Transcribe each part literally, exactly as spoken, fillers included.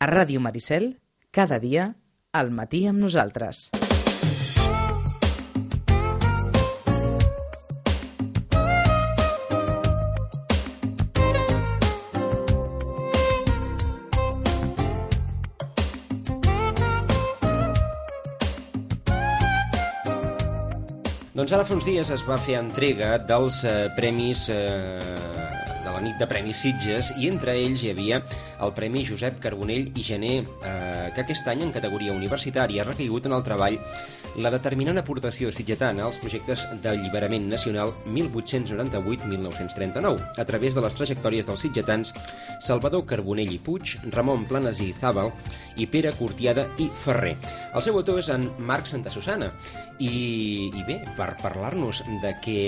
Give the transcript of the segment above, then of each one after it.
A Ràdio Maricel, cada dia, al matí amb nosaltres. Doncs ara fa uns dies es va fer entrega dels eh, premis eh, de la nit de Premis Sitges i entre ells hi havia el Premi Josep Carbonell i Gené, eh, que aquest any en categoria universitària ha recaigut en el treball la determinant aportació sitgetana als projectes d'alliberament nacional mil vuit-cents noranta-vuit a mil nou-cents trenta-nou, a través de les trajectòries dels sitgetans Salvador Carbonell i Puig, Ramon Planasí Zàbal i Pere Cortiada i Ferrer. El seu autor és en Marc Santasusana i, i bé, per parlar-nos de què,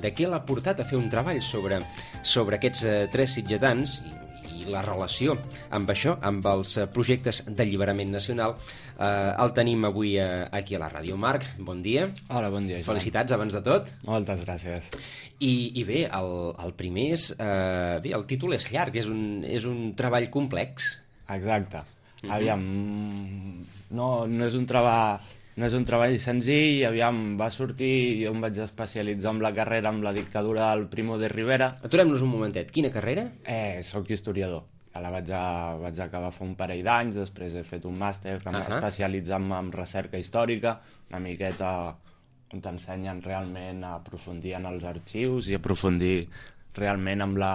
de què l'ha portat a fer un treball sobre, sobre aquests eh, tres sitgetans i, i la relació amb això, amb els projectes d'alliberament nacional, eh, el tenim avui eh, aquí a la ràdio. Marc, bon dia. Hola, bon dia, Joan. Felicitats abans de tot. Moltes gràcies. I, i bé, el, el primer és... Eh, bé, el títol és llarg, és un, és un treball complex. Exacte. Mm-hmm. Aviam, no, no és un treball... No és un treball senzill, aviam, va sortir, jo em vaig especialitzar en la carrera amb la dictadura del Primo de Rivera. Aturem-nos un momentet, quina carrera? Eh, soc historiador. Ja la vaig, a, vaig acabar fa un parell d'anys, després he fet un màster que m'ha Uh-huh. especialitzat en, en recerca històrica, una miqueta on t'ensenyen realment a aprofundir en els arxius i aprofundir realment amb la,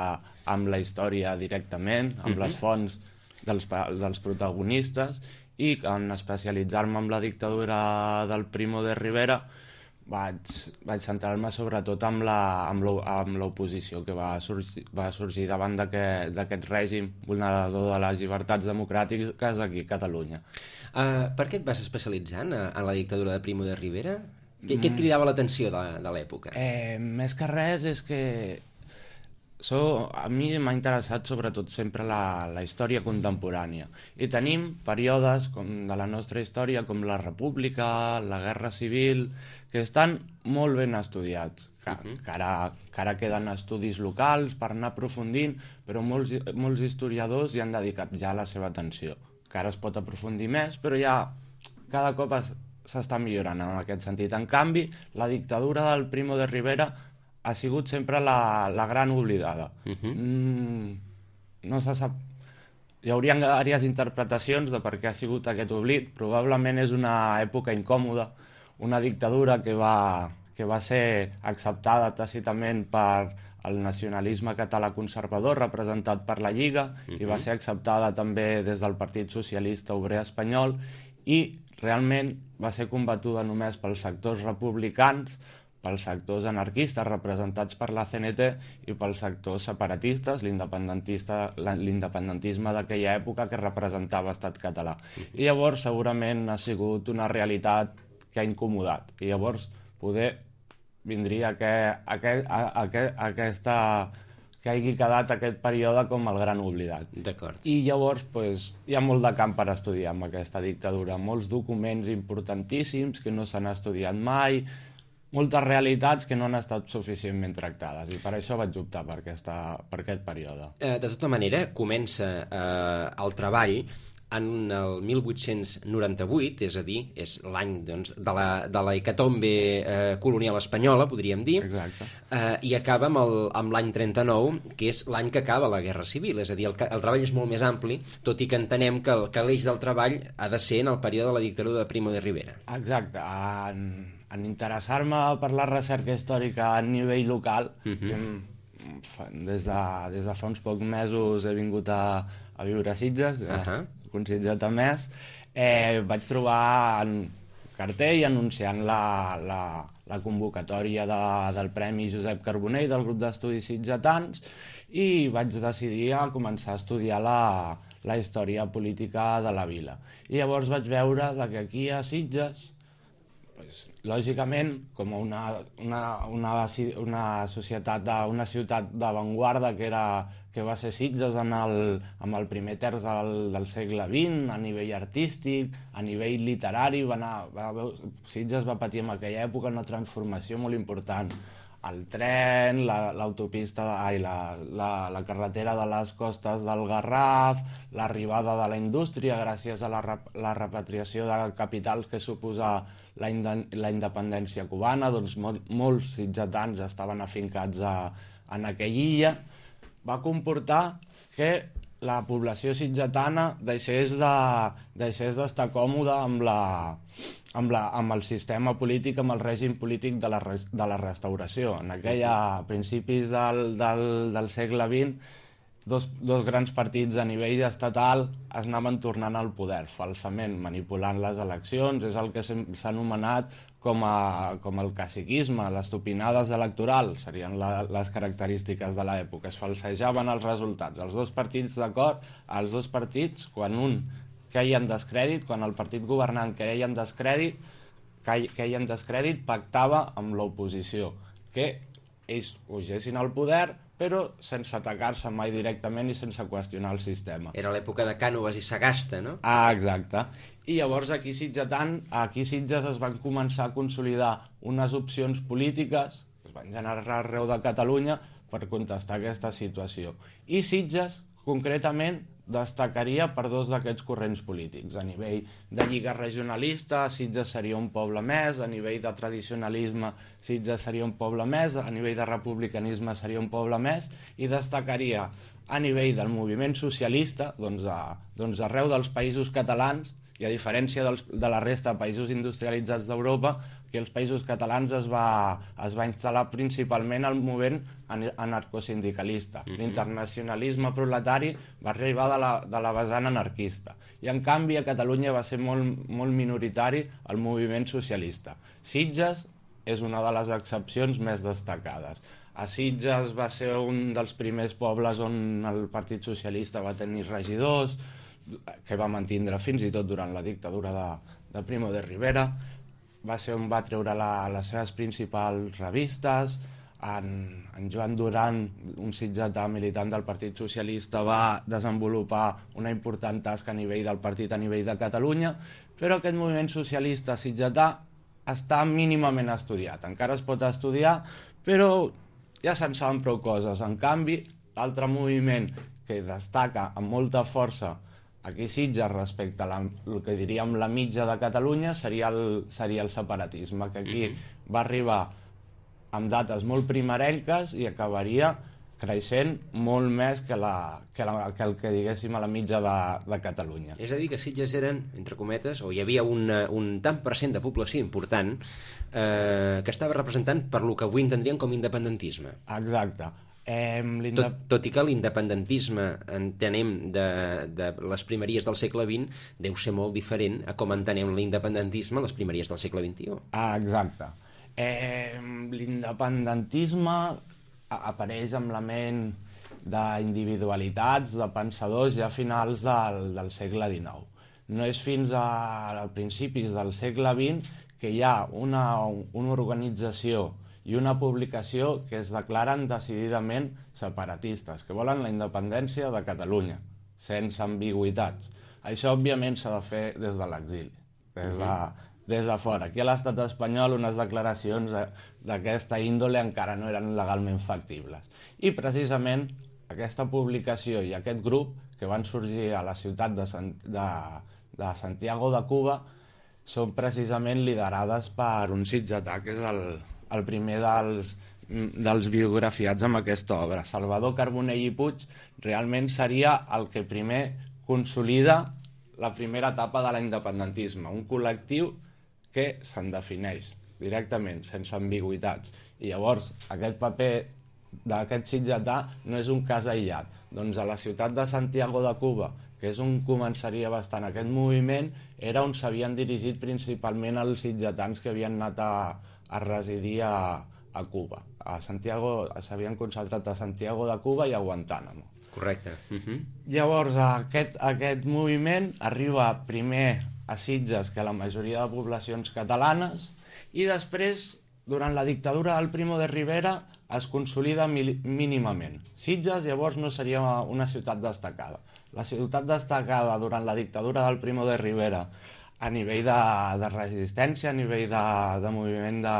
amb la història directament, amb Uh-huh. les fonts dels, pa- dels protagonistes, i en especialitzar-me en la dictadura del Primo de Rivera vaig, vaig centrar-me sobretot amb la- amb l'o- amb l'oposició que va sorgir, va sorgir davant d'aquest d'aquest règim vulnerador de les llibertats democràtiques aquí a Catalunya. Uh, per què et vas especialitzar en, en la dictadura de Primo de Rivera? Què, què et cridava l'atenció de, de l'època? Eh, més que res és que so, a mi m'ha interessat sobretot sempre la, la història contemporània i tenim períodes com de la nostra història com la República, la Guerra Civil, que estan molt ben estudiats, que, Uh-huh. que, ara, que ara queden estudis locals per anar aprofundint, però molts, molts historiadors hi han dedicat ja la seva atenció, que ara es pot aprofundir més, però ja cada cop es, s'està millorant en aquest sentit. En canvi, la dictadura del Primo de Rivera ha sigut sempre la, la gran oblidada. Uh-huh. Mm, no se sap... Hi hauria diverses interpretacions de per què ha sigut aquest oblit. Probablement és una època incòmoda, una dictadura que va, que va ser acceptada tàcitament per el nacionalisme català conservador representat per la Lliga uh-huh. i va ser acceptada també des del Partit Socialista Obrer Espanyol i realment va ser combatuda només pels sectors republicans, pels sectors anarquistes representats per la C N T i pels sectors separatistes, l'independentista, l'independentisme d'aquella època que representava Estat català. I llavors segurament ha sigut una realitat que ha incomodat. I llavors poder vindria que, aquest, aquest, aquesta, que hagi quedat aquest període com el gran oblidat. D'acord. I llavors pues, hi ha molt de camp per estudiar amb aquesta dictadura, molts documents importantíssims que no s'han estudiat mai, moltes realitats que no han estat suficientment tractades i per això vaig optar per, aquesta, per aquest període. Eh, de tota manera, comença eh, el treball en el mil vuit-cents noranta-vuit, és a dir, és l'any doncs, de la, de la hecatombe eh, colonial espanyola, podríem dir, Exacte. eh, i acaba amb el- amb l'any trenta-nou, que és l'any que acaba la Guerra Civil, és a dir, el, ca- el treball és molt més ampli, tot i que entenem que, el, que l'eix del treball ha de ser en el període de la dictadura de Primo de Rivera. Exacte. En, en interessar-me per la recerca històrica a nivell local, Mhm. em- fa- des, de, des de fa uns pocs mesos he vingut a, a viure a Sitges, uh Ahà. un sitget a més, eh, vaig trobar en cartell anunciant la, la, la convocatòria de, del Premi Josep Carbonell del grup d'estudis sitgetans i vaig decidir a començar a estudiar la, la història política de la vila. I llavors vaig veure de que aquí a Sitges, pues, lògicament, com una, una, una, una societat, de, una ciutat d'avantguarda que era que va ser Sitges en el, amb el primer terç del, del segle vint, a nivell artístic, a nivell literari, va anar, va, Sitges va patir en aquella època una transformació molt important el tren, la- l'autopista, ai, la, la, la carretera de les costes del Garraf, l'arribada de la indústria gràcies a la, rep- la repatriació de capitals que suposa la, inde- la independència cubana, doncs mol, molts sitgetans estaven afincats a, en aquella illa, va comportar que la població sitgetana deixés de, deixés d'estar còmoda amb, la, amb, la, amb el sistema polític, amb el règim polític de la, res- de la restauració. En aquella, a principis del, del, del segle vint, dos, dos grans partits a nivell estatal es anaven tornant al poder, falsament, manipulant les eleccions. És el que s'ha s'ha anomenat com, a, com el caciquisme, les topinades electorals, serien la, les característiques de l'època. Es falsejaven els resultats. Els dos partits d'acord, els dos partits, quan un queia en descrèdit, quan el partit governant queia en descrèdit, queia en descrèdit, pactava amb l'oposició, que ells pugessin al poder, però sense atacar-se mai directament i sense qüestionar el sistema. Era l'època de Cànoves i Sagasta, no? Ah, exacte. I llavors aquí a Sitgetan, aquí a Sitges es van començar a consolidar unes opcions polítiques que es van generar arreu de Catalunya per contestar aquesta situació. I Sitges, concretament, destacaria per dos d'aquests corrents polítics. A nivell de lliga regionalista, Sitges seria un poble més; a nivell de tradicionalisme, Sitges seria un poble més; a nivell de republicanisme seria un poble més, i destacaria a nivell del moviment socialista, doncs, a, doncs arreu dels països catalans, i a diferència dels, de la resta de països industrialitzats d'Europa, que els països catalans es va, es va instal·lar principalment al moviment anarcosindicalista. Mm-hmm. L'internacionalisme proletari va arribar de la, de la vessant anarquista. I en canvi a Catalunya va ser molt, molt minoritari el moviment socialista. Sitges és una de les excepcions més destacades. A Sitges va ser un dels primers pobles on el Partit Socialista va tenir regidors, que va mantindre fins i tot durant la dictadura de, de Primo de Rivera. Va ser on va treure la, les seves principals revistes. En, en Joan Duran, un sitgetà militant del Partit Socialista, va desenvolupar una important tasca a nivell del partit, a nivell de Catalunya, però aquest moviment socialista sitgetà està mínimament estudiat. Encara es pot estudiar, però ja se'n saben prou coses. En canvi, l'altre moviment que destaca amb molta força aquí a Sitges respecte a la, el que diríem la mitja de Catalunya seria el, seria el separatisme, que aquí mm-hmm. va arribar amb dates molt primerenques i acabaria creixent molt més que, la, que, la, que el que diguéssim a la mitja de, de Catalunya. És a dir, que Sitges eren, entre cometes, o hi havia una, un tant per cent de població important eh, que estava representant per lo que avui entendríem com independentisme. Exacte. Eh, tot, tot i que l'independentisme, entenem, de, de les primeries del segle vint, deu ser molt diferent a com entenem l'independentisme a les primeries del segle vint-i-u. Ah, exacte. Eh, l'independentisme apareix amb la ment d'individualitats, de pensadors ja a finals del, del segle dinou. No és fins a, a principis del segle vint que hi ha una, una organització i una publicació que es declaren decididament separatistes, que volen la independència de Catalunya, sense ambigüitats. Això, òbviament, s'ha de fer des de l'exili, des de, des de fora. Aquí a l'estat espanyol unes declaracions d'aquesta índole encara no eren legalment factibles. I, precisament, aquesta publicació i aquest grup, que van sorgir a la ciutat de, San, de, de Santiago de Cuba, són precisament liderades per un sitgetà, que és el, el primer dels, dels biografiats amb aquesta obra. Salvador Carbonell i Puig realment seria el que primer consolida la primera etapa de l'independentisme, un col·lectiu que se'n defineix directament, sense ambigüitats. I llavors aquest paper d'aquest sitgetà no és un cas aïllat. Doncs a la ciutat de Santiago de Cuba, que és on començaria bastant aquest moviment, era on s'havien dirigit principalment els sitgetans que havien anat a, a residir a, a Cuba. A Santiago s'havien concentrat a Santiago de Cuba i a Guantánamo. Correcte. Uh-huh. Llavors aquest, aquest moviment arriba primer a Sitges que a la majoria de poblacions catalanes i després, durant la dictadura del Primo de Rivera, es consolida mínimament. Sitges llavors no seria una ciutat destacada. La ciutat destacada durant la dictadura del Primo de Rivera a nivell de, de resistència, a nivell de, de moviment de,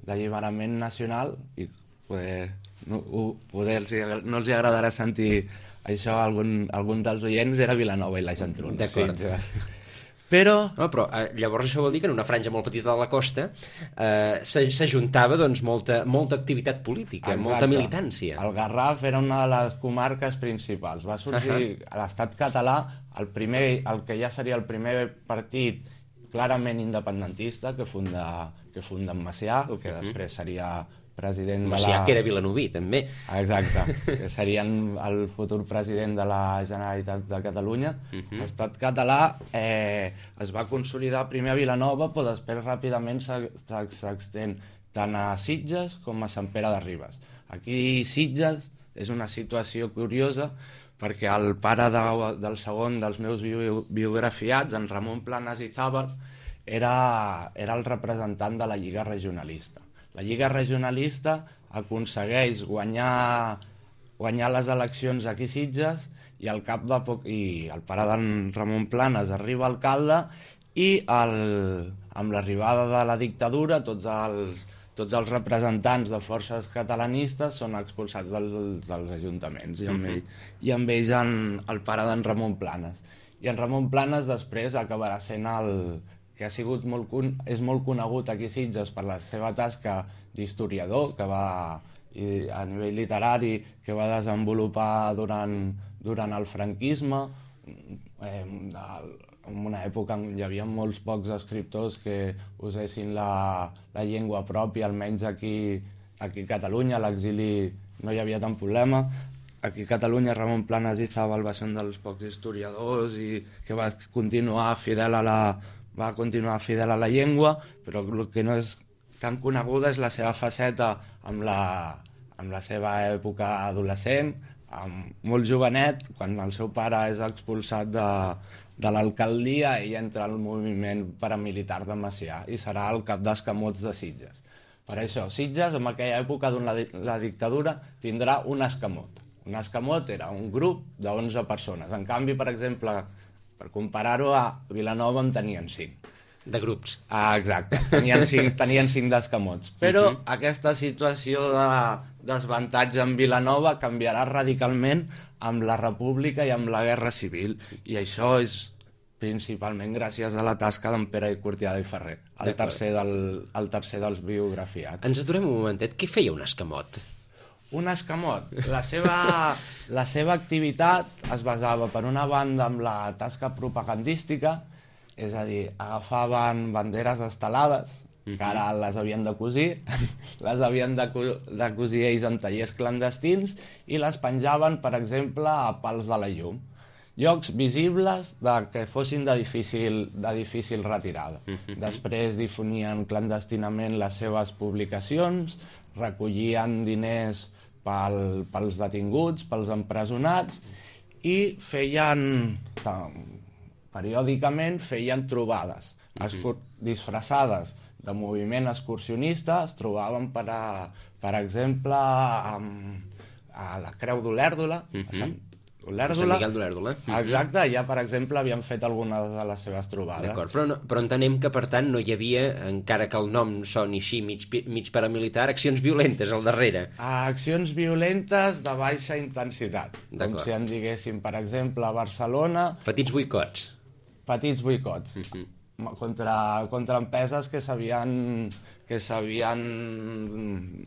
d'alliberament nacional i poder, no, poder els, no els agradarà sentir això a algun, algun dels oients, era Vilanova i la Geltrú. D'acord. Sí, però... No, però eh, llavors això vol dir que en una franja molt petita de la costa eh, s'ajuntava doncs, molta, molta activitat política, Exacte. molta militància. El Garraf era una de les comarques principals. Va sorgir uh -huh. a l'estat català el, primer, el que ja seria el primer partit clarament independentista que funda, que funda en Macià, el que uh -huh. després seria president Macià, de la... que era vilanoví, també. Exacte, que serien el futur president de la Generalitat de Catalunya. Uh -huh. L'estat català eh, es va consolidar primer a Vilanova, però després ràpidament s'extén tant a Sitges com a Sant Pere de Ribes. Aquí Sitges és una situació curiosa perquè el pare de, del segon dels meus bio, biografiats, en Ramon Planas i Zàbal, era, era el representant de la Lliga Regionalista. La Lliga Regionalista aconsegueix guanyar, guanyar les eleccions aquí a Sitges i al cap de poc, i el pare d'en Ramon Planas arriba alcalde i el, amb l'arribada de la dictadura tots els, tots els representants de forces catalanistes són expulsats dels, dels ajuntaments i amb, ell, i amb ells en, el pare d'en Ramon Planas. I en Ramon Planas després acabarà sent el... que ha sigut molt, és molt conegut aquí a Sitges per la seva tasca d'historiador que va, i a nivell literari que va desenvolupar durant, durant el franquisme, eh, en una època on hi havia molts pocs escriptors que usessin la, la llengua pròpia, almenys aquí, aquí a Catalunya, a l'exili no hi havia tant problema. Aquí a Catalunya Ramon Planas i Zàbal va ser un dels pocs historiadors i que va continuar fidel a la va continuar fidel a la llengua, però el que no és tan coneguda és la seva faceta amb la, amb la seva època adolescent, amb molt jovenet, quan el seu pare és expulsat de, de l'alcaldia, ell entra al moviment paramilitar de Macià i serà el cap d'escamots de Sitges. Per això, Sitges, en aquella època de la, la dictadura, tindrà un escamot. Un escamot era un grup d'onze persones. En canvi, per exemple, per comparar-ho, a Vilanova en tenien cinc. De grups. Ah, exacte, tenien cinc, tenien cinc d'escamots. Però uh -huh. aquesta situació de desavantatge en Vilanova canviarà radicalment amb la República i amb la Guerra Civil. I això és principalment gràcies a la tasca d'en Pere Cortiada i Ferrer, el tercer, del, el tercer dels biografiats. Ens aturem un momentet. Què feia un escamot? Un escamot. La seva, la seva activitat es basava, per una banda, en la tasca propagandística, és a dir, agafaven banderes estelades, uh-huh. que ara les havien de cosir, les havien de, de cosir ells en tallers clandestins i les penjaven, per exemple, a pals de la llum. Llocs visibles de, que fossin de difícil, de difícil retirada. Uh-huh. Després difonien clandestinament les seves publicacions, recollien diners pel, pels detinguts, pels empresonats, i feien, periòdicament, feien trobades, uh-huh. disfressades de moviment excursionista. Es trobaven, per, a, per exemple, a, a la Creu d'Olèrdola, uh-huh. a Sant Olèrdola. Sant Miquel d'Olèrdola. Exacte, ja, per exemple, havien fet algunes de les seves trobades. D'acord, però, no, però entenem que, per tant, no hi havia, encara que el nom soni així, mig, mig paramilitar, accions violentes al darrere. Accions violentes de baixa intensitat. Com si en diguéssim, per exemple, a Barcelona... Petits boicots. Petits boicots. Uh-huh. Contra, contra empreses que s'havien que s'havien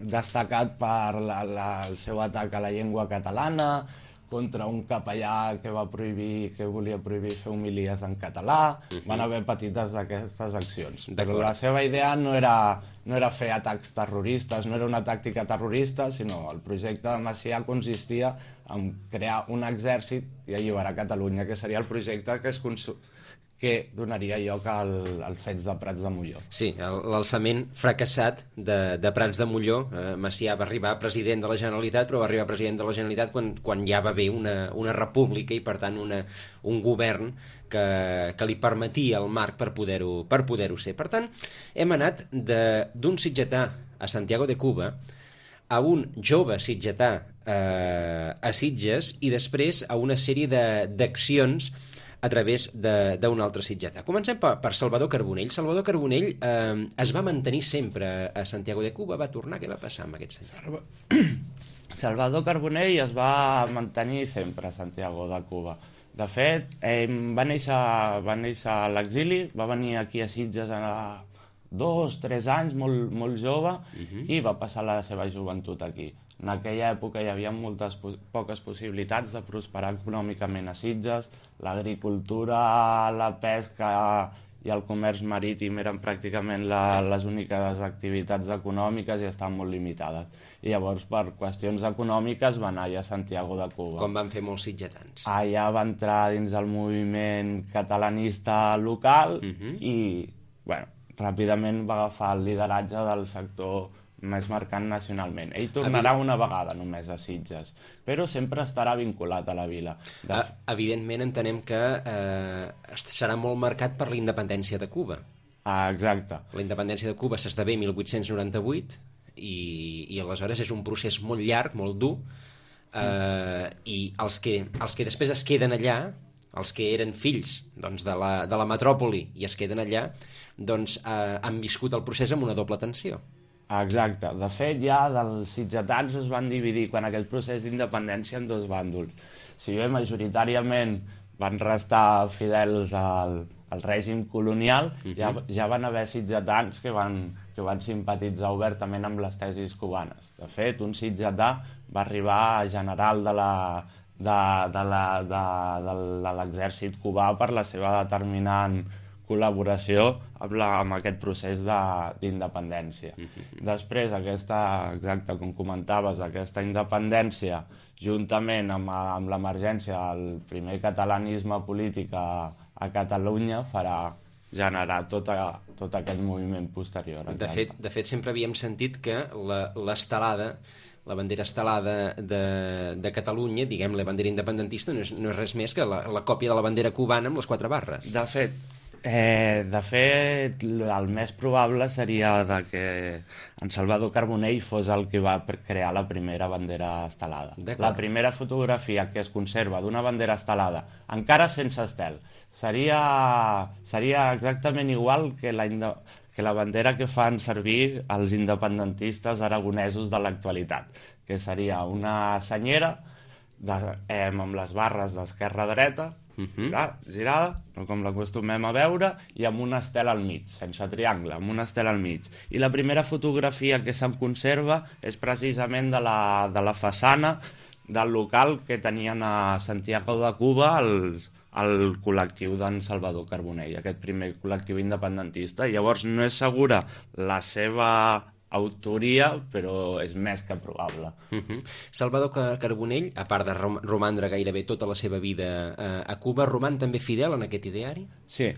destacat per la, la, el seu atac a la llengua catalana, contra un capellà que va prohibir, que volia prohibir fer homilies en català. Uh-huh. Van haver petites d'aquestes accions. Però la seva idea no era, no era fer atacs terroristes, no era una tàctica terrorista, sinó el projecte de Macià consistia en crear un exèrcit i alliberar Catalunya, que seria el projecte que es consum... que donaria lloc al, al fets de Prats de Molló. Sí, l'alçament fracassat de, de Prats de Molló. Eh, Macià va arribar president de la Generalitat, però va arribar president de la Generalitat quan, quan ja va haver una, una república i, per tant, una, un govern que, que li permetia el marc per poder-ho per poder-ho ser. Per tant, hem anat d'un sitgetà a Santiago de Cuba a un jove sitgetà eh, a Sitges i després a una sèrie d'accions a través d'un altre sitgetà. Comencem per, per Salvador Carbonell. Salvador Carbonell eh, es va mantenir sempre a Santiago de Cuba, va tornar, què va passar amb aquest senyor? Salvador Carbonell es va mantenir sempre a Santiago de Cuba. De fet, eh, va néixer, va néixer a l'exili, va venir aquí a Sitges a dos, tres anys, molt, molt jove, uh-huh. i va passar la seva joventut aquí. En aquella època hi havia moltes po poques possibilitats de prosperar econòmicament a Sitges, l'agricultura, la pesca i el comerç marítim eren pràcticament la, les úniques activitats econòmiques i estaven molt limitades. I llavors, per qüestions econòmiques, va anar allà a Santiago de Cuba. Com van fer molts sitgetans. Allà va entrar dins el moviment catalanista local uh-huh. i, bueno, ràpidament va agafar el lideratge del sector més marcant nacionalment. Ell tornarà Evident... una vegada només a Sitges, però sempre estarà vinculat a la vila. De... Evidentment entenem que eh, serà molt marcat per la independència de Cuba. Ah, exacte. La independència de Cuba s'esdevé mil vuit-cents noranta-vuit i, i aleshores és un procés molt llarg, molt dur, eh, mm. i els que, els que després es queden allà, els que eren fills doncs, de, la, de la metròpoli i es queden allà, doncs eh, han viscut el procés amb una doble tensió. Exacte. De fet, ja dels sitgetans es van dividir quan aquest procés d'independència en dos bàndols. Si bé majoritàriament van restar fidels al, al règim colonial, uh-huh. ja, ja van haver sitgetans que van, que van simpatitzar obertament amb les tesis cubanes. De fet, un sitgetà va arribar a general de la de, de la, de, de, de l'exèrcit cubà per la seva determinant col·laboració amb, la, amb aquest procés d'independència. Mm-hmm. Després, aquesta, exacte, com comentaves, aquesta independència, juntament amb, amb l'emergència del primer catalanisme polític a, a Catalunya, farà generar tot, a, tot aquest moviment posterior. De fet, de fet, sempre havíem sentit que l'estelada, la bandera estelada de, de Catalunya, diguem, la bandera independentista, no és, no és res més que la, la còpia de la bandera cubana amb les quatre barres. De fet, Eh, de fet, el més probable seria de que en Salvador Carbonell fos el que va crear la primera bandera estelada. La primera fotografia que es conserva d'una bandera estelada, encara sense estel, seria, seria exactament igual que la, que la bandera que fan servir els independentistes aragonesos de l'actualitat, que seria una senyera de, eh, amb les barres d'esquerra-dreta, Uh-huh. girada, com l'acostumem a veure, i amb una estela al mig, sense triangle, amb una estela al mig. I la primera fotografia que se'n conserva és precisament de la, de la façana del local que tenien a Santiago de Cuba els, el col·lectiu d'en Salvador Carbonell, aquest primer col·lectiu independentista. I llavors no és segura la seva autoria, però és més que probable. Uh-huh. Salvador Carbonell, a part de rom romandre gairebé tota la seva vida eh, a Cuba, roman també fidel en aquest ideari? Sí.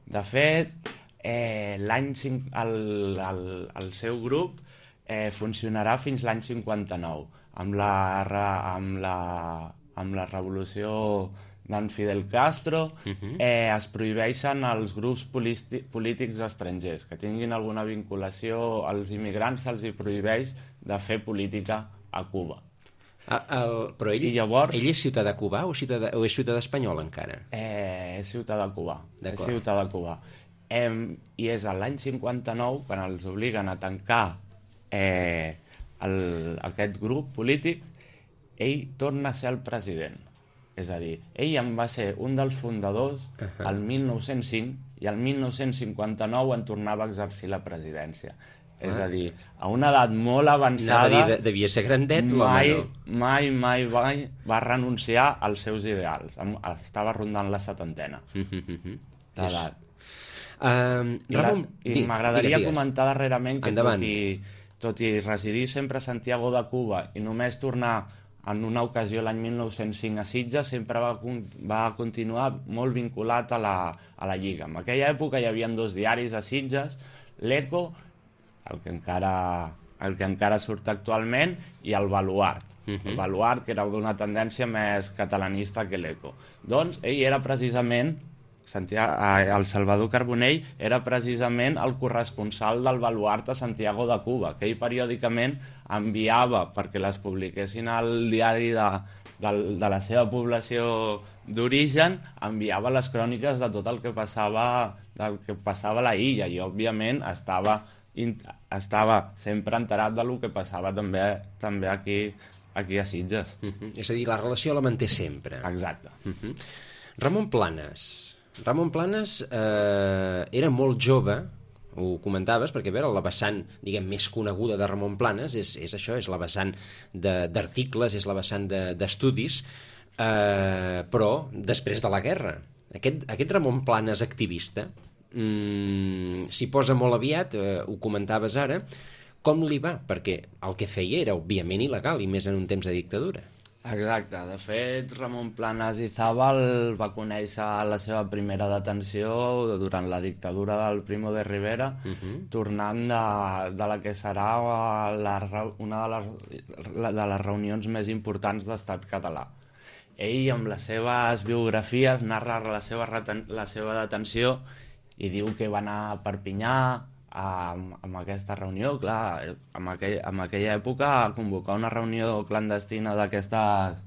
De fet, eh, l'any el, el, el seu grup eh, funcionarà fins l'any cinquanta-nou, amb la, amb la, amb la revolució d'en Fidel Castro. Uh-huh. eh, es prohibeixen els grups polítics estrangers que tinguin alguna vinculació als immigrants, se'ls hi prohibeix de fer política a Cuba. Ah, el, però ell, llavors, ell és ciutadà cubà o, ciutadà, o és ciutadà espanyol encara? Eh, és ciutadà cubà. És ciutadà cubà. Eh, I és l'any cinquanta-nou quan els obliguen a tancar eh, el, aquest grup polític, ell torna a ser el president. És a dir, ell en va ser un dels fundadors uh-huh. el mil nou-cents cinc i el mil nou-cents cinquanta-nou en tornava a exercir la presidència. Uh-huh. És a dir, a una edat molt avançada... Anava a dir, devia ser grandet, mai, l'home, no? Mai, mai, mai va renunciar als seus ideals. Estava rondant la setantena uh-huh. d'edat. Uh, Ramon, I m'agradaria comentar darrerament que tot i, tot i residir sempre a Santiago de Cuba i només tornar en una ocasió l'any mil nou-cents cinc a Sitges, sempre va, va continuar molt vinculat a la, a la Lliga. En aquella època hi havia dos diaris a Sitges, l'Eco, el que encara, el que encara surt actualment, i el Baluart. Uh-huh. El Baluart, que era d'una tendència més catalanista que l'Eco. Doncs ell era precisament, el Salvador Carbonell era precisament el corresponsal del Baluart a Santiago de Cuba, que ell periòdicament enviava perquè les publiquessin al diari de, de, de la seva població d'origen enviava les cròniques de tot el que passava, del que passava a la illa, i òbviament estava, estava sempre enterat del que passava també, també aquí, aquí a Sitges. Uh-huh. És a dir, la relació la manté sempre. Exacte. Uh-huh. Ramon Planes. Ramon Planes eh, era molt jove, ho comentaves, perquè a veure, la vessant, diguem, més coneguda de Ramon Planes és, és això, és la vessant d'articles, és la vessant d'estudis, de, eh, però després de la guerra. Aquest, aquest Ramon Planes activista mmm, s'hi posa molt aviat, eh, ho comentaves ara, com li va? Perquè el que feia era, òbviament, il·legal, i més en un temps de dictadura. Exacte. De fet, Ramon Planes i Zabal va conèixer la seva primera detenció durant la dictadura del Primo de Rivera, uh-huh. tornant de, de la que serà la, una de les, de les reunions més importants d'Estat català. Ell, amb les seves biografies, narra la seva, reten, la seva detenció i diu que va anar a Perpinyà amb, amb aquesta reunió. Clar, en, aquell, en aquella època convocar una reunió clandestina d'aquestes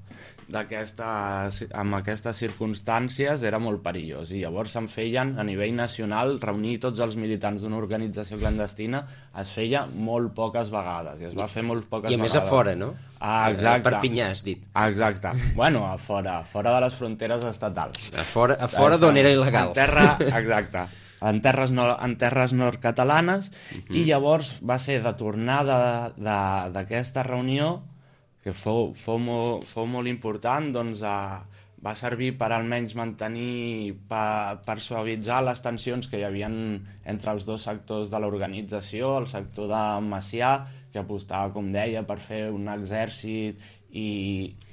d'aquestes amb aquestes circumstàncies era molt perillós, i llavors se'n feien a nivell nacional, reunir tots els militants d'una organització clandestina es feia molt poques vegades, i es va fer molt poques vegades. I a més vegades. a fora, no? Ah, exacte. A Perpinyà, has dit. Exacte. Bueno, a fora, fora de les fronteres estatals. A fora, a fora d'on era il·legal. En terra, exacte. En terres, no, en terres nord-catalanes, uh-huh. i llavors va ser de tornada d'aquesta reunió, que fou, fou, molt, fou molt important, doncs a, va servir per almenys mantenir, per, per suavitzar les tensions que hi havia entre els dos sectors de l'organització, el sector de Macià, que apostava, com deia, per fer un exèrcit i...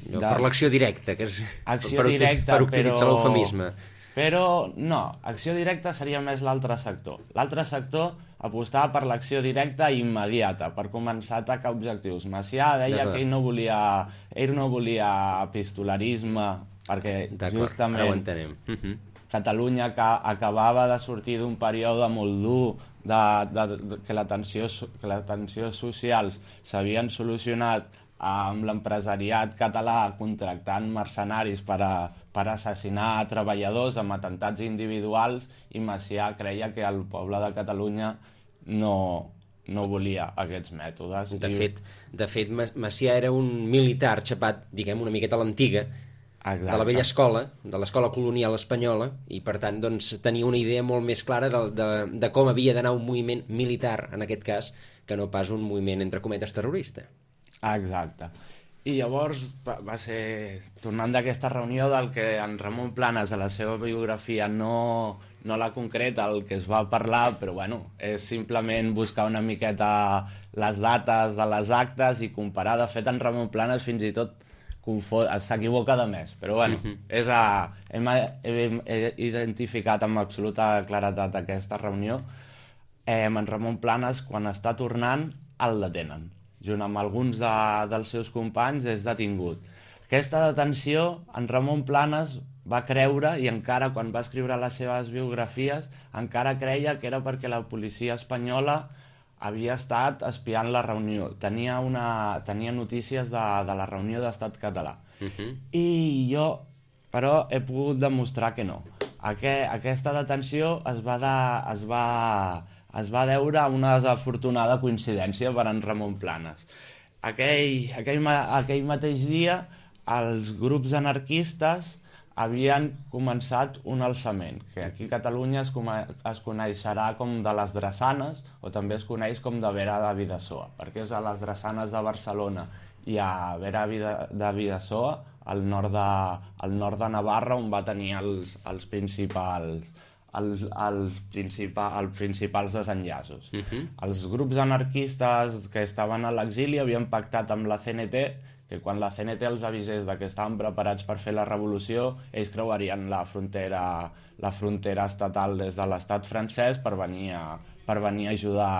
De... Per l'acció directa, que és... Acció per, directa, per utilitzar però... l'eufemisme. Però no, acció directa seria més l'altre sector. L'altre sector apostava per l'acció directa immediata, per començar a atacar objectius. Macià deia que ell no volia, ell no volia epistolarisme, perquè justament ara ho entenem. Uh-huh. Catalunya que acabava de sortir d'un període molt dur, de, de, de, que, la tensió, que les tensions socials s'havien solucionat amb l'empresariat català contractant mercenaris per, a, per assassinar treballadors amb atentats individuals, i Macià creia que el poble de Catalunya no, no volia aquests mètodes. De fet, de fet, Macià era un militar xapat, diguem, una miqueta a l'antiga, Exacte. de la vella escola, de l'escola colonial espanyola, i per tant doncs, tenia una idea molt més clara de, de, de com havia d'anar un moviment militar, en aquest cas, que no pas un moviment, entre cometes, terrorista. Exacte. I llavors va ser, tornant d'aquesta reunió, del que en Ramon Planes a la seva biografia no, no la concreta, el que es va parlar, però bueno, és simplement buscar una miqueta les dates de les actes i comparar. De fet, en Ramon Planes fins i tot s'equivoca de més, però bueno, uh-huh. és a, hem, hem, hem identificat amb absoluta claretat aquesta reunió. Eh, en Ramon Planes, quan està tornant, el detenen. Junt amb alguns de, dels seus companys, és detingut. Aquesta detenció, en Ramon Planes va creure, i encara quan va escriure les seves biografies, encara creia que era perquè la policia espanyola havia estat espiant la reunió. Tenia, una, tenia notícies de, de la reunió d'Estat català. Uh-huh. I jo, però, he pogut demostrar que no. Aqu aquesta detenció es va... De, es va es va deure a una desafortunada coincidència per en Ramon Planes. Aquell, aquell, aquell mateix dia, els grups anarquistes havien començat un alçament, que aquí a Catalunya es, es coneixerà com de les Drassanes, o també es coneix com de Vera de Bidasoa, perquè és a les Drassanes de Barcelona i a Vera de Bidasoa, al nord de, al nord de Navarra, on va tenir els, els principals... Els, els, principal, els principals desenllaços. Uh-huh. Els grups anarquistes que estaven a l'exili havien pactat amb la C N T que quan la C N T els avisés de que estaven preparats per fer la revolució, ells creuarien la frontera, la frontera estatal des de l'estat francès per venir a, per venir a ajudar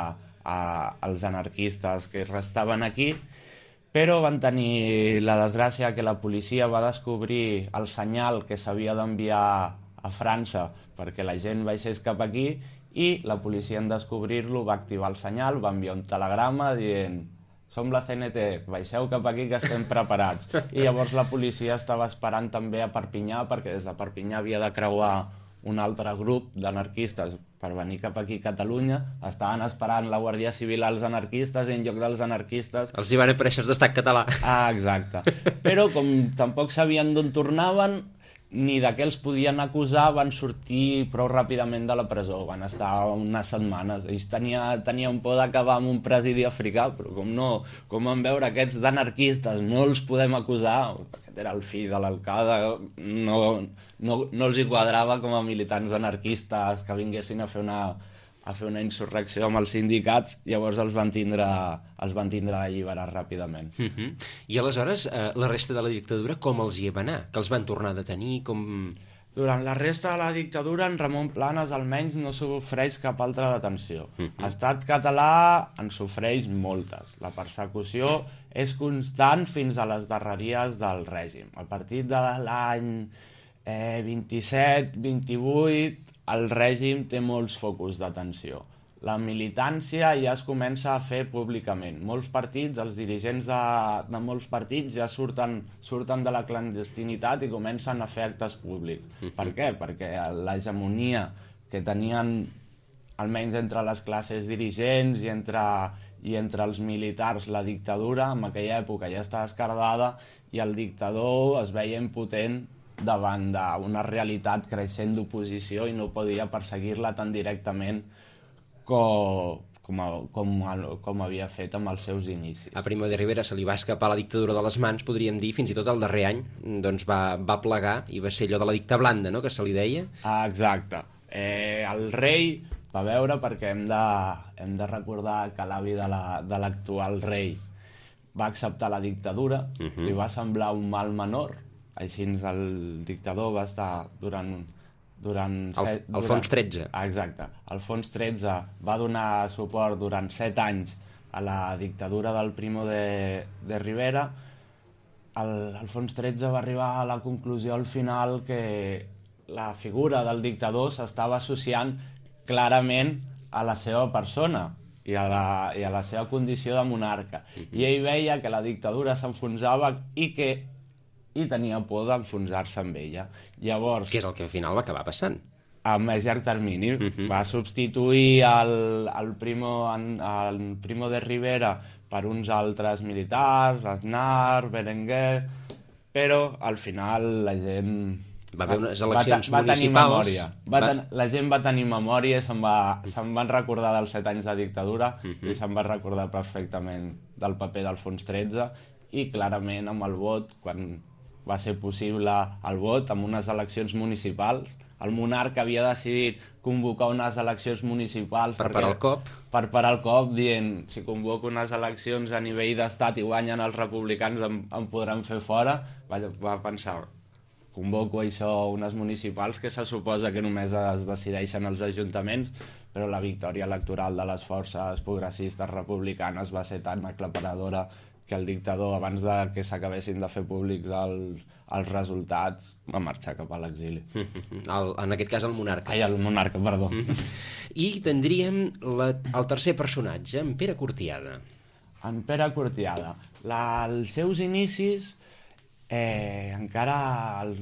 a, als anarquistes que restaven aquí, però van tenir la desgràcia que la policia va descobrir el senyal que s'havia d'enviar a França perquè la gent baixés cap aquí, i la policia en descobrir-lo va activar el senyal, va enviar un telegrama dient som la C N T, baixeu cap aquí que estem preparats. I llavors la policia estava esperant també a Perpinyà, perquè des de Perpinyà havia de creuar un altre grup d'anarquistes per venir cap aquí a Catalunya. Estaven esperant la Guàrdia Civil als anarquistes i en lloc dels anarquistes... Els hi van aparèixer els d'estat català. Ah, exacte. Però com tampoc sabien d'on tornaven, ni de què els podien acusar, van sortir prou ràpidament de la presó. Van estar unes setmanes. Ells tenia, tenien por d'acabar amb un presidi africà, però com no, com van veure aquests d'anarquistes, no els podem acusar, aquest era el fill de l'alcalde, no, no, no els hi quadrava com a militants anarquistes que vinguessin a fer una, a fer una insurrecció amb els sindicats, llavors els van tindre, els van tindre alliberar ràpidament. Uh -huh. I aleshores, eh, la resta de la dictadura com els hi va anar? Que els van tornar a detenir? Com... Durant la resta de la dictadura, en Ramon Planes almenys no sofreix cap altra detenció. Uh -huh. Estat català en sofreix moltes. La persecució és constant fins a les darreries del règim. A partir de l'any eh, vint-i-set vint-i-vuit, el règim té molts focus d'atenció. La militància ja es comença a fer públicament. Molts partits, els dirigents de, de molts partits ja surten, surten de la clandestinitat i comencen a fer actes públics. Uh-huh. Per què? Perquè l'hegemonia que tenien, almenys entre les classes dirigents i entre, i entre els militars, la dictadura, en aquella època ja estava esquerdada i el dictador es veia impotent davant d'una realitat creixent d'oposició i no podia perseguir-la tan directament com, com, com, com havia fet amb els seus inicis. A Primo de Rivera se li va escapar la dictadura de les mans, podríem dir, fins i tot el darrer any doncs va, va plegar i va ser allò de la dicta blanda, no?, que se li deia. Ah, exacte. Eh, el rei va veure, perquè hem de, hem de recordar que l'avi de l'actual la, rei va acceptar la dictadura, uh-huh. li va semblar un mal menor. Així el dictador va estar durant... durant el, set, Alfons durant, tretze. Exacte. Alfons tretze va donar suport durant set anys a la dictadura del Primo de, de Rivera. El, Alfons tretze va arribar a la conclusió al final que la figura del dictador s'estava associant clarament a la seva persona i a la, i a la seva condició de monarca. Uh-huh. I ell veia que la dictadura s'enfonsava i que i tenia por d'enfonsar-se amb ella. Llavors... Que és el que al final va acabar passant. A més llarg termini. Uh-huh. Va substituir el, el, Primo, el Primo de Rivera per uns altres militars, Aznar, Berenguer, però al final la gent... Va haver unes eleccions va, va municipals... Va ten, va... La gent va tenir memòria i se'n va, se'n van recordar dels set anys de dictadura uh-huh. i se'n va recordar perfectament del paper d'Alfons tretze i clarament amb el vot, quan va ser possible el vot amb unes eleccions municipals. El monarca havia decidit convocar unes eleccions municipals per parar el cop. Per parar el cop, dient, si convoco unes eleccions a nivell d'estat i guanyen els republicans em, em podran fer fora. Va, va pensar, convoco això, unes municipals, que se suposa que només es decideixen els ajuntaments, però la victòria electoral de les forces progressistes republicanes va ser tan aclaparadora que el dictador, abans de que s'acabessin de fer públics els, els resultats, va marxar cap a l'exili. El, en aquest cas el monarca. Ai, el monarca, perdó. I tindríem la, el tercer personatge, en Pere Cortiada. En Pere Cortiada. La, els seus inicis eh, encara el,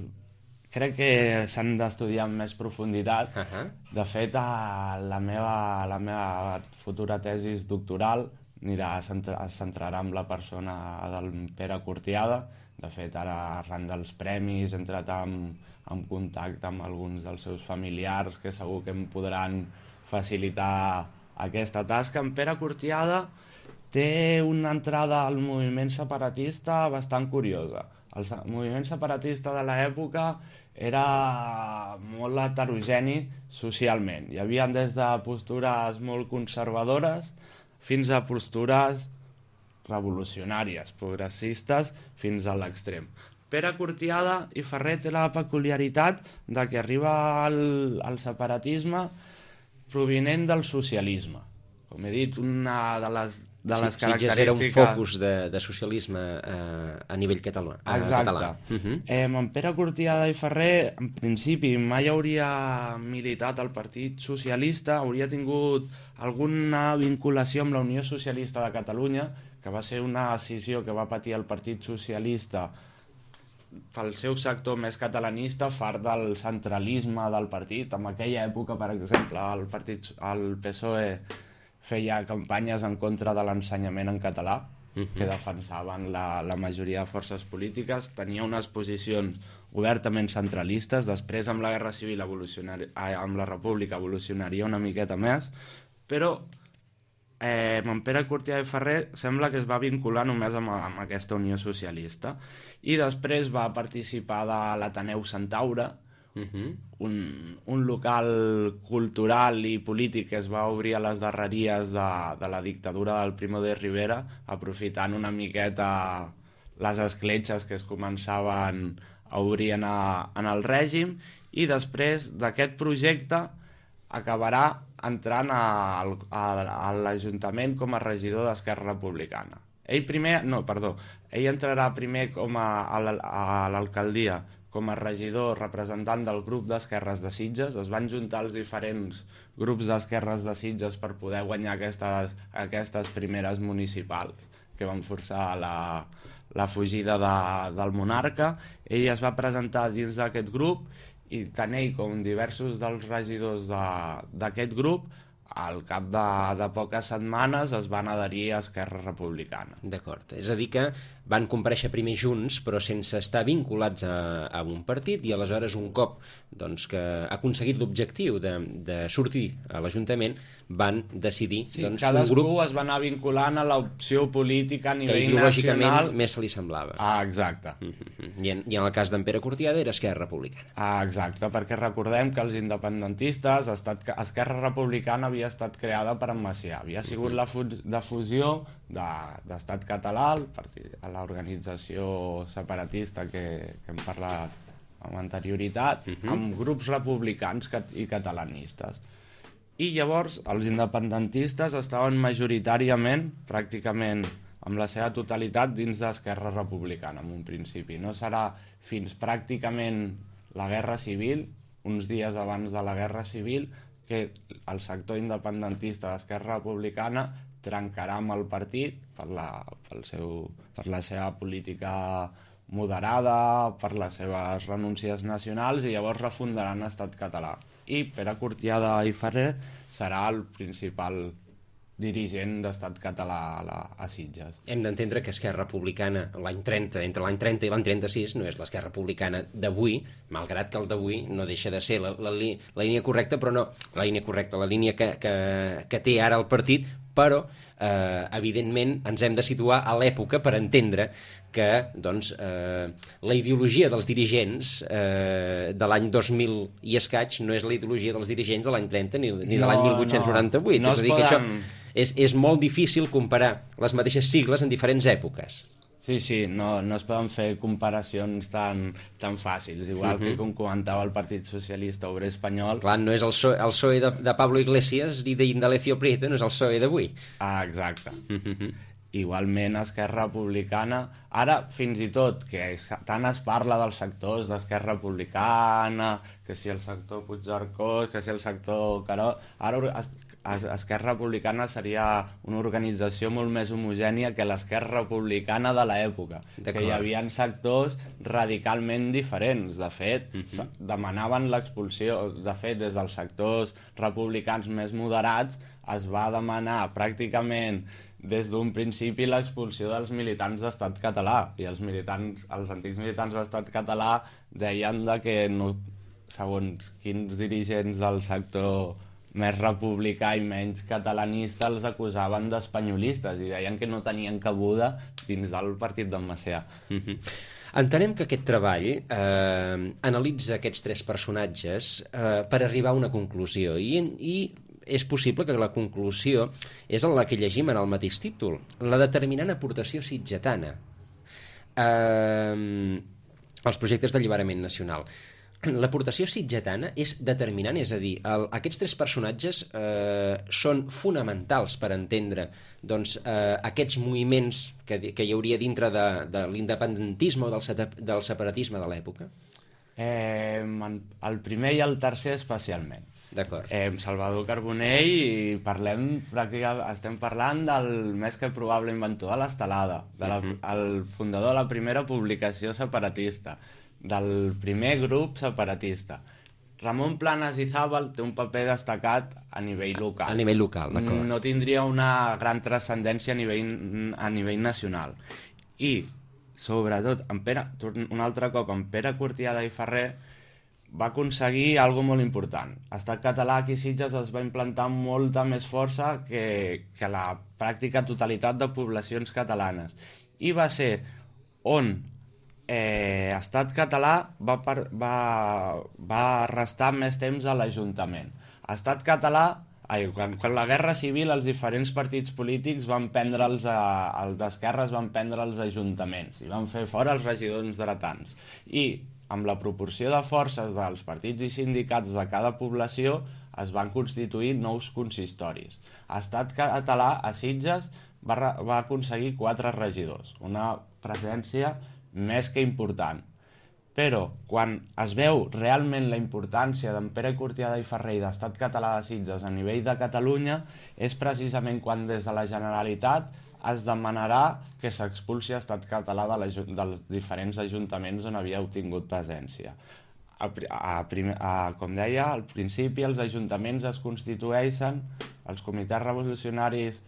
crec que s'han d'estudiar amb més profunditat. Uh-huh. De fet, a la, meva, la meva futura tesis doctoral anirà a centrar, es centrarà en la persona del Pere Cortiada. De fet, ara, arran dels premis, he entrat en, en contacte amb alguns dels seus familiars que segur que em podran facilitar aquesta tasca. En Pere Cortiada té una entrada al moviment separatista bastant curiosa. El moviment separatista de l'època era molt heterogeni socialment. Hi havia des de postures molt conservadores fins a postures revolucionàries, progressistes, fins a l'extrem. Pere Cortiada i Ferrer té la peculiaritat de que arriba al, al separatisme provinent del socialisme. Com he dit, una de les, de les sí, característiques... Sí, era un focus de, de socialisme eh, a nivell català. Exacte. Català. Uh-huh. eh, en Pere Cortiada i Ferrer, en principi, mai hauria militat al Partit Socialista, hauria tingut alguna vinculació amb la Unió Socialista de Catalunya, que va ser una decisió que va patir el Partit Socialista pel seu sector més catalanista, fart del centralisme del partit. En aquella època, per exemple, el, partit, el P S O E feia campanyes en contra de l'ensenyament en català, uh-huh. que defensaven la, la majoria de forces polítiques, tenia unes posicions obertament centralistes. Després, amb la Guerra Civil, amb la República, evolucionaria una miqueta més, però eh, en Pere Curtià i Ferrer sembla que es va vincular només amb, amb aquesta Unió Socialista, i després va participar de l'Ateneu Centaure, uh-huh. un, un local cultural i polític que es va obrir a les darreries de, de la dictadura del Primo de Rivera, aprofitant una miqueta les escletxes que es començaven a obrir en, a, en el règim, i després d'aquest projecte acabarà entrant a, a, a l'Ajuntament com a regidor d'Esquerra Republicana. Ell primer, no, perdó, ell entrarà primer com a, a l'alcaldia com a regidor representant del grup d'esquerres de Sitges. Es van juntar els diferents grups d'esquerres de Sitges per poder guanyar aquestes, aquestes primeres municipals que van forçar la, la fugida de, del monarca. Ell es va presentar dins d'aquest grup, i tant ell com diversos dels regidors d'aquest grup, al cap de, de poques setmanes es van adherir a Esquerra Republicana. D'acord, és a dir que van comparèixer primer junts però sense estar vinculats a, a un partit, i aleshores un cop doncs, que ha aconseguit l'objectiu de, de sortir a l'Ajuntament van decidir sí, doncs, cadascú un grup es va anar vinculant a l'opció política a nivell que ideològicament nacional. Més se li semblava. Ah, exacte. Mm-hmm. I, en, I en el cas d'en Pere Curtiada era Esquerra Republicana. Ah, exacte, perquè recordem que els independentistes, estat, Esquerra Republicana havia estat creada per en Macià, havia sigut la fu de fusió d'Estat de, Català, el partit, a l'organització separatista que, que hem parlat amb anterioritat, uh-huh. amb grups republicans i catalanistes. I llavors els independentistes estaven majoritàriament, pràcticament amb la seva totalitat, dins d'Esquerra Republicana en un principi. No serà fins pràcticament la Guerra Civil, uns dies abans de la Guerra Civil, que el sector independentista d'Esquerra Republicana trencarà amb el partit per la, pel seu, per la seva política moderada, per les seves renúncies nacionals, i llavors refundaran Estat català. I Pere Curtiada i Ferrer serà el principal dirigent d'Estat català a, la, a Sitges. Hem d'entendre que Esquerra Republicana l'any trenta, entre l'any trenta i l'any trenta-sis, no és l'Esquerra Republicana d'avui, malgrat que el d'avui no deixa de ser la, la, la línia correcta, però no la línia correcta, la línia que, que, que té ara el partit, però eh, evidentment ens hem de situar a l'època per entendre que doncs, eh, la ideologia dels dirigents eh, de l'any dos mil i escaig no és la ideologia dels dirigents de l'any trenta ni, ni de l'any no, mil vuit-cents noranta-vuit. No, no és a dir, poden... que això és, és molt difícil comparar les mateixes sigles en diferents èpoques. Sí, sí, no, no es poden fer comparacions tan, tan fàcils, igual uh-huh. que com comentava el Partit Socialista Obrer Espanyol. Clar, no és el PSOE, el PSOE de, de Pablo Iglesias ni d'Indalecio Prieto, no és el PSOE d'avui. Ah, exacte. Uh-huh. Igualment, Esquerra Republicana, ara fins i tot, que tant es parla dels sectors d'Esquerra Republicana, que si el sector Puigcercós, que si el sector Caró, ara Esquerra Republicana seria una organització molt més homogènia que l'Esquerra Republicana de l'època, que hi havia sectors radicalment diferents. De fet, uh-huh. demanaven l'expulsió. De fet, des dels sectors republicans més moderats es va demanar pràcticament des d'un principi l'expulsió dels militants d'Estat català, i els militants, els antics militants d'Estat català deien de que no, segons quins dirigents del sector més republicà i menys catalanista els acusaven d'espanyolistes i deien que no tenien cabuda dins del partit d'en Macià. Mm-hmm. Entenem que aquest treball eh, analitza aquests tres personatges eh, per arribar a una conclusió, i, i és possible que la conclusió és la que llegim en el mateix títol, la determinant aportació sitgetana eh, als projectes d'alliberament nacional. L'aportació sitgetana és determinant, és a dir, el, aquests tres personatges eh, són fonamentals per entendre doncs, eh, aquests moviments que, que hi hauria dintre de, de l'independentisme o del, del separatisme de l'època? Eh, el primer i el tercer especialment. D'acord. Eh, Salvador Carbonell, i parlem, pràcticament, estem parlant del més que probable inventor de l'estelada, de la, Uh-huh. el fundador de la primera publicació separatista, del primer grup separatista. Ramon Planas i Zábal té un paper destacat a nivell local. A nivell local, d'acord. No tindria una gran transcendència a nivell, a nivell nacional. I, sobretot, en Pere, un altre cop, en Pere Cortiada i Ferrer va aconseguir algo molt important. Estat català aquí a Sitges es va implantar amb molta més força que, que la pràctica totalitat de poblacions catalanes. I va ser on eh, Estat català va, per, va, va restar més temps a l'Ajuntament. Estat català, ai, quan, quan la Guerra Civil els diferents partits polítics van prendre els, els d'esquerres van prendre els ajuntaments i van fer fora els regidors dretans. I amb la proporció de forces dels partits i sindicats de cada població es van constituir nous consistoris. Estat català a Sitges va, va aconseguir quatre regidors, una presència més que important. Però quan es veu realment la importància d'en Pere Cortiada i Ferrer i d'Estat Català de Sitges a nivell de Catalunya és precisament quan des de la Generalitat es demanarà que s'expulsi Estat Català de dels diferents ajuntaments on havia obtingut presència. A, a, a, com deia, al principi els ajuntaments es constitueixen, els comitès revolucionaris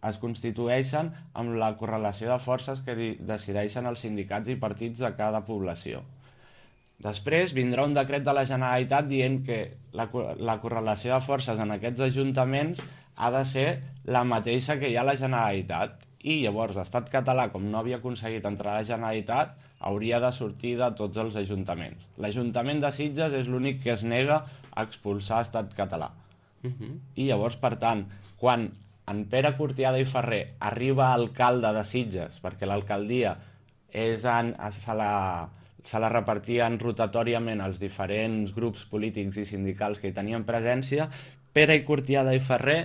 es constitueixen amb la correlació de forces que decideixen els sindicats i partits de cada població. Després vindrà un decret de la Generalitat dient que la, la correlació de forces en aquests ajuntaments ha de ser la mateixa que hi ha a la Generalitat. I llavors l'Estat català, com no havia aconseguit entrar a la Generalitat, hauria de sortir de tots els ajuntaments. L'Ajuntament de Sitges és l'únic que es nega a expulsar Estat català. Uh-huh. I llavors, per tant, quan en Pere Cortiada i Ferrer arriba alcalde de Sitges, perquè l'alcaldia és en, se, la, se la repartien rotatòriament als diferents grups polítics i sindicals que hi tenien presència, Pere Cortiada i Ferrer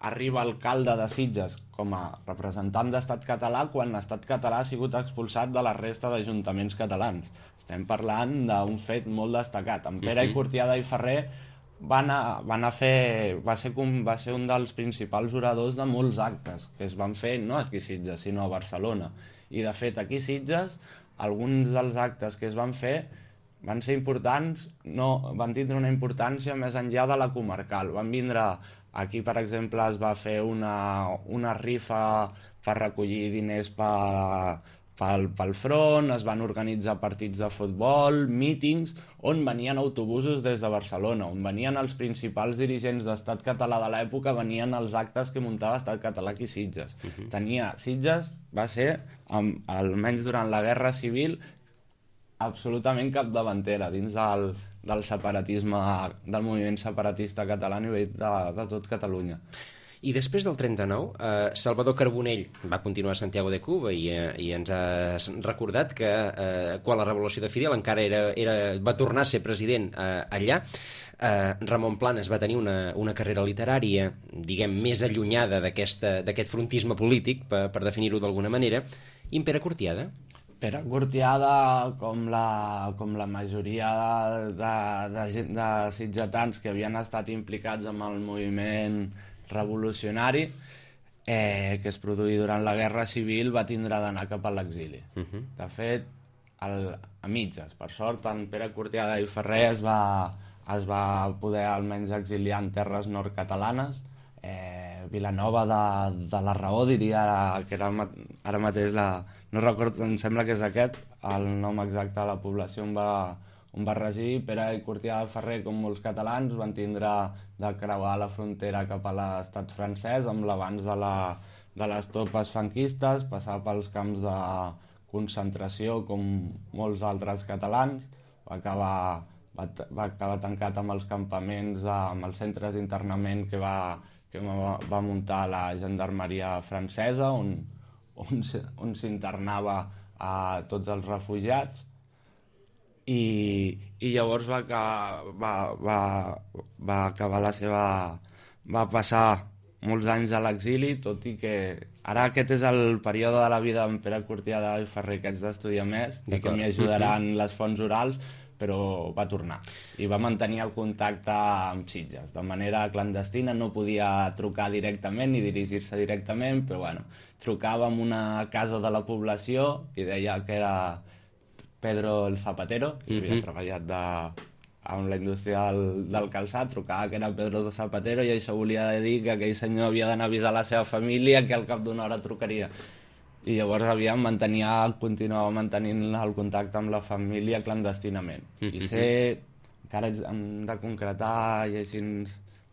arriba alcalde de Sitges com a representant d'Estat català quan l'Estat català ha sigut expulsat de la resta d'ajuntaments catalans. Estem parlant d'un fet molt destacat. En Pere uh-huh. Cortiada i Ferrer va, anar, va, anar fer, va, ser, va ser un dels principals oradors de molts actes que es van fer no aquí a Sitges, sinó a Barcelona. I de fet aquí a Sitges alguns dels actes que es van fer van ser importants, no, van tindre una importància més enllà de la comarcal. Van vindre, aquí per exemple es va fer una, una rifa per recollir diners per, pel, pel front, es van organitzar partits de futbol, mítings, on venien autobusos des de Barcelona, on venien els principals dirigents d'Estat català de l'època, venien als actes que muntava Estat català aquí a Sitges. Uh-huh. Tenia, Sitges va ser, amb, almenys durant la Guerra Civil, absolutament capdavantera dins del, del separatisme, del moviment separatista català a nivell de, de tot Catalunya. I després del trenta-nou, eh, Salvador Carbonell va continuar a Santiago de Cuba i, eh, i ens has recordat que eh, quan la revolució de Fidel encara era, era, va tornar a ser president eh, allà. Eh, Ramon Planas va tenir una, una carrera literària, diguem, més allunyada d'aquest frontisme polític, per, per definir-ho d'alguna manera. I en Pere Cortiada? Pere Cortiada, com la, com la majoria de, de, de, de sitgetans que havien estat implicats amb el moviment revolucionari eh, que es produí durant la Guerra Civil, va tindre d'anar cap a l'exili. Uh-huh. De fet, el, a mitges, per sort, en Pere Cortiada i Ferrer es va, es va poder almenys exiliar en terres nord-catalanes. Eh, Vilanova de, de la Raó, diria ara, que era, ara mateix la... No recordo, em sembla que és aquest, el nom exacte de la població on va, on va residir. Pere Cortiada i Ferrer, com molts catalans, van tindre de creuar la frontera cap a l'estat francès amb l'avanç de, la, de les tropes franquistes, passar pels camps de concentració com molts altres catalans, va acabar, va, va acabar tancat amb els campaments, amb els centres d'internament que va, que va, va muntar la gendarmeria francesa, on on, on s'internava a tots els refugiats i, i llavors va, va, va, va acabar la seva... va passar molts anys a l'exili, tot i que ara aquest és el període de la vida d'en Pere Cortiada i Ferrer que haig d'estudiar més i que m'hi ajudaran les fonts orals, però va tornar i va mantenir el contacte amb Sitges de manera clandestina, no podia trucar directament ni dirigir-se directament, però bueno, trucava a una casa de la població i deia que era Pedro el Zapatero, que havia uh-huh. treballat de, amb la indústria del, del calçat, trucava que era Pedro el Zapatero i això volia dir que aquell senyor havia d'anar a avisar la seva família que al cap d'una hora trucaria. I llavors aviam mantenia, continuava mantenint el contacte amb la família clandestinament. Mm-hmm. I sé, encara hem de concretar llegint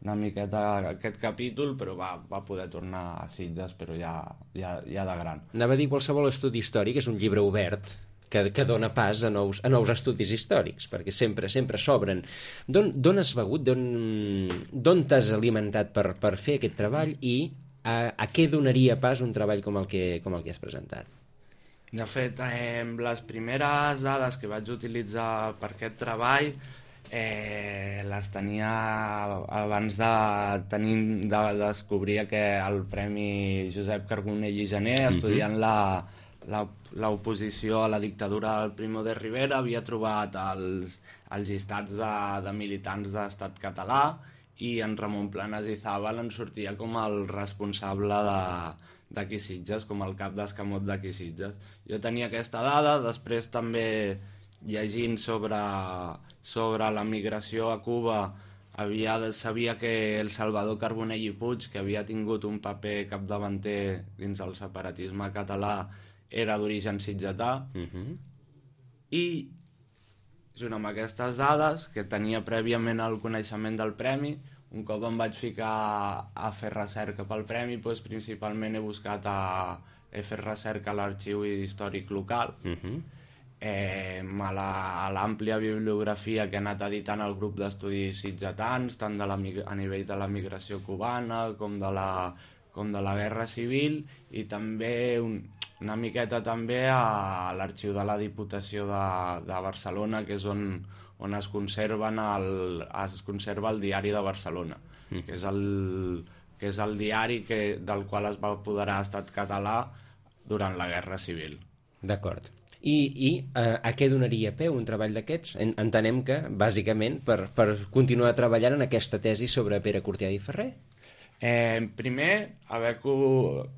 una miqueta aquest capítol, però va, va poder tornar a Sitges, però ja, ja, ja de gran. Anava a dir qualsevol estudi històric és un llibre obert que, que dona pas a nous, a nous estudis històrics, perquè sempre sempre s'obren. D'on has begut, d'on t'has alimentat per, per fer aquest treball i a, a què donaria pas un treball com el que, com el que has presentat? De fet, eh, les primeres dades que vaig utilitzar per aquest treball eh, les tenia abans de, tenir, de descobrir que el Premi Josep Carbonell i Gener, estudiant la, la, l'oposició a la dictadura del Primo de Rivera, havia trobat els, els llistats de, de militants d'Estat català i en Ramon Planas i Zabal en sortia com el responsable de, d'aquí Sitges, com el cap d'escamot d'aquí Sitges. Jo tenia aquesta dada, després també llegint sobre, sobre la migració a Cuba havia, sabia que el Salvador Carbonell i Puig, que havia tingut un paper capdavanter dins el separatisme català, era d'origen sitgetà, uh-huh. i junt amb aquestes dades, que tenia prèviament el coneixement del premi, un cop em vaig ficar a fer recerca pel premi, doncs principalment he buscat a, he fet recerca a l'Arxiu Històric Local, uh-huh. eh, a, la, a l'àmplia bibliografia que ha anat editant el grup d'estudis sitgetans, tant de la, a nivell de la migració cubana com de la, com de la Guerra Civil, i també un, una miqueta també a l'Arxiu de la Diputació de, de Barcelona, que és on, on es, conserven el, es conserva el Diari de Barcelona, mm. que és el, que és el diari que, del qual es va apoderar Estat català durant la Guerra Civil. D'acord. I, i eh, a què donaria peu un treball d'aquests? Entenem que, bàsicament, per, per continuar treballant en aquesta tesi sobre Pere Cortià i Ferrer? Eh, primer, haver co-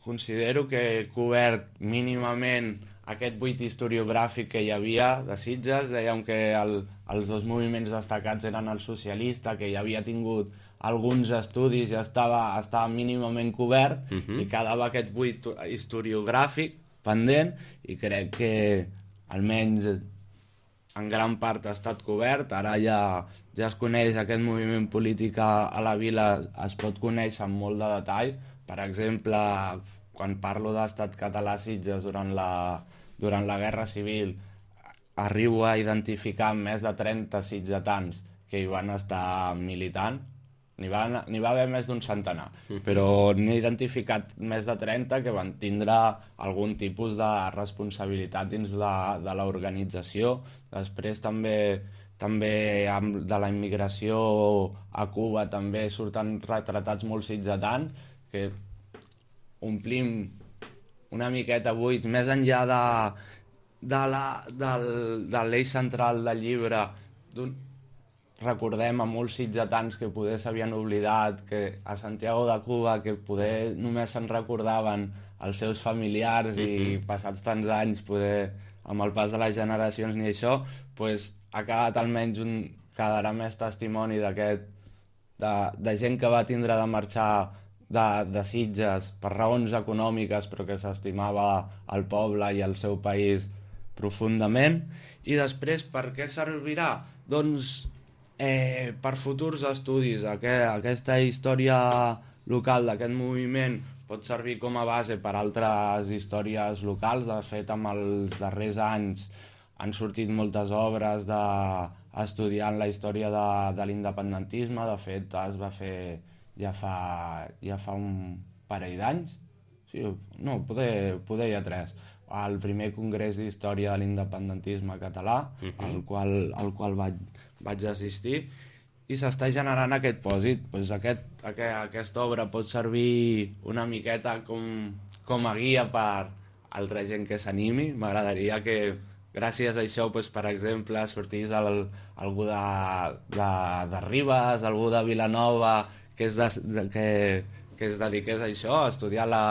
considero que he cobert mínimament aquest buit historiogràfic que hi havia de Sitges. Dèiem que el, els dos moviments destacats eren el socialista, que ja havia tingut alguns estudis i estava, estava mínimament cobert, uh-huh. i quedava aquest buit historiogràfic pendent, i crec que almenys en gran part ha estat cobert. Ara ja, ja es coneix aquest moviment polític a, a la vila, es pot conèixer amb molt de detall. Per exemple, quan parlo d'Estat català a Sitges durant la, durant la Guerra Civil, arribo a identificar més de trenta sitgetans que hi van estar militant. N'hi va, n'hi va haver més d'un centenar, però n'he identificat més de trenta que van tindre algun tipus de responsabilitat dins de, de l'organització. Després també, també de la immigració a Cuba també surten retratats molt sitgetans, que omplim una miqueta buit, més enllà de, de, la, del, de l'eix central del llibre. Recordem a molts sitgetans que poder s'havien oblidat, que a Santiago de Cuba, que poder només se'n recordaven els seus familiars, uh-huh. i passats tants anys, poder, amb el pas de les generacions ni això, pues, ha quedat almenys un, quedarà més testimoni d'aquest, de, de gent que va tindre de marxar de, de Sitges per raons econòmiques, però que s'estimava el poble i el seu país profundament. I després, per què servirà? Doncs eh, per futurs estudis. Aquest, aquesta història local d'aquest moviment pot servir com a base per altres històries locals. De fet, en els darrers anys han sortit moltes obres de, estudiant la història de, de l'independentisme. De fet, es va fer ja fa, ja fa un parell d'anys. Sí, no, poder, poder ja tres. El primer congrés d'història de l'independentisme català, uh-huh. al qual, al qual vaig, vaig assistir, i s'està generant aquest pòsit. Pues aquest, aquest, aquesta obra pot servir una miqueta com, com a guia per altra gent que s'animi. M'agradaria que gràcies a això, doncs, per exemple, sortís el, algú de, de, de Ribes, algú de Vilanova, que es, de, de, que, que es dediqués a això, a estudiar la,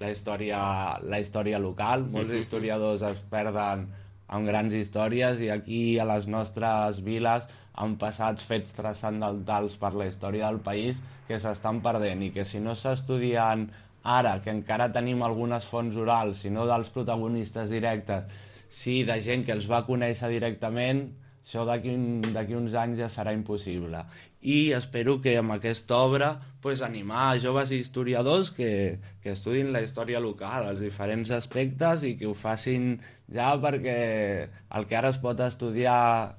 la, història, la història local. Molts historiadors es perden amb grans històries i aquí a les nostres viles han passat fets transcendentals per la història del país que s'estan perdent i que si no s'estudien ara, que encara tenim algunes fonts orals, si no dels protagonistes directes, sí de gent que els va conèixer directament, això d'aquí un, d'aquí uns anys ja serà impossible. I espero que amb aquesta obra pues, animar a joves historiadors que, que estudin la història local, els diferents aspectes i que ho facin ja perquè el que ara es pot estudiar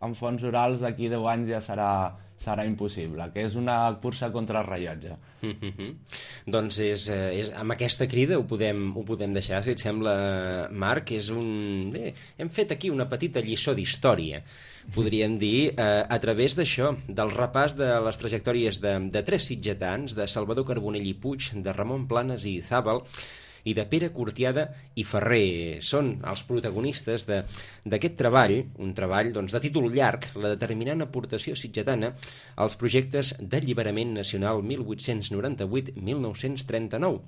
en fonts orals d'aquí deu anys ja serà, serà impossible, que és una cursa contra el rellotge. Mm-hmm. Doncs és, és, amb aquesta crida ho podem, ho podem deixar, si et sembla, Marc. És un... Bé, hem fet aquí una petita lliçó d'història, podríem dir, eh, a través d'això, del repàs de les trajectòries de, de tres sitgetans, de Salvador Carbonell i Puig, de Ramon Planes i Zàbal, i de Pere Cortiada i Ferrer. Són els protagonistes d'aquest treball, un treball doncs, de títol llarg, la determinant aportació sitgetana als projectes d'alliberament nacional mil vuit-cents noranta-vuit a mil nou-cents trenta-nou.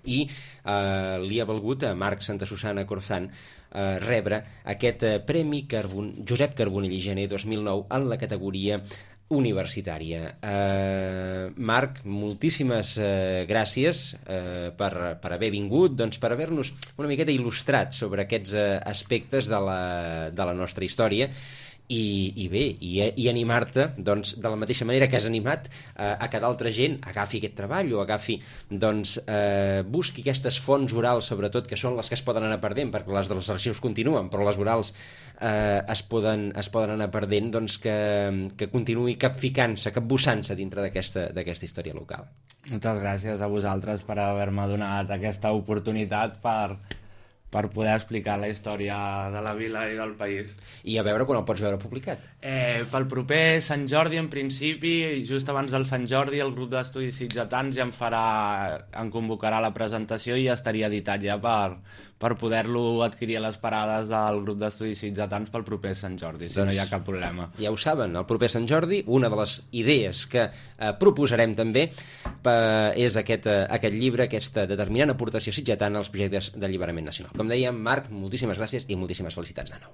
I eh, li ha valgut a Marc Santa Susana Corzán eh, rebre aquest eh, Premi Carbon... Josep Carbonell i Gener dos mil nou en la categoria universitària. Eh, Marc, moltíssimes eh, gràcies eh, per, per haver vingut, doncs per haver-nos una miqueta il·lustrat sobre aquests eh, aspectes de la, de la nostra història. I, i bé, i, i animar-te doncs, de la mateixa manera que has animat eh, a que d'altra gent agafi aquest treball o agafi, doncs, eh, busqui aquestes fonts orals, sobretot, que són les que es poden anar perdent, perquè les dels arxius continuen, però les orals eh, es, poden, es poden anar perdent, doncs que, que continuï capficant-se, capbussant-se dintre d'aquesta d'aquesta història local. Moltes gràcies a vosaltres per haver-me donat aquesta oportunitat per... per poder explicar la història de la vila i del país. I a veure quan el pots veure publicat? Eh, pel proper Sant Jordi, en principi, just abans del Sant Jordi, el grup d'estudis sitgetans ja en farà, en convocarà la presentació i ja estaria editat ja per, per poder-lo adquirir a les parades del grup d'estudis sitgetans pel proper Sant Jordi, si doncs, no hi ha cap problema. Ja ho saben, el proper Sant Jordi, una de les idees que eh, proposarem també eh, és aquest, eh, aquest llibre, aquesta determinant aportació sitgetana als projectes d'alliberament nacional. Com dèiem, Marc, moltíssimes gràcies i moltíssimes felicitats de nou.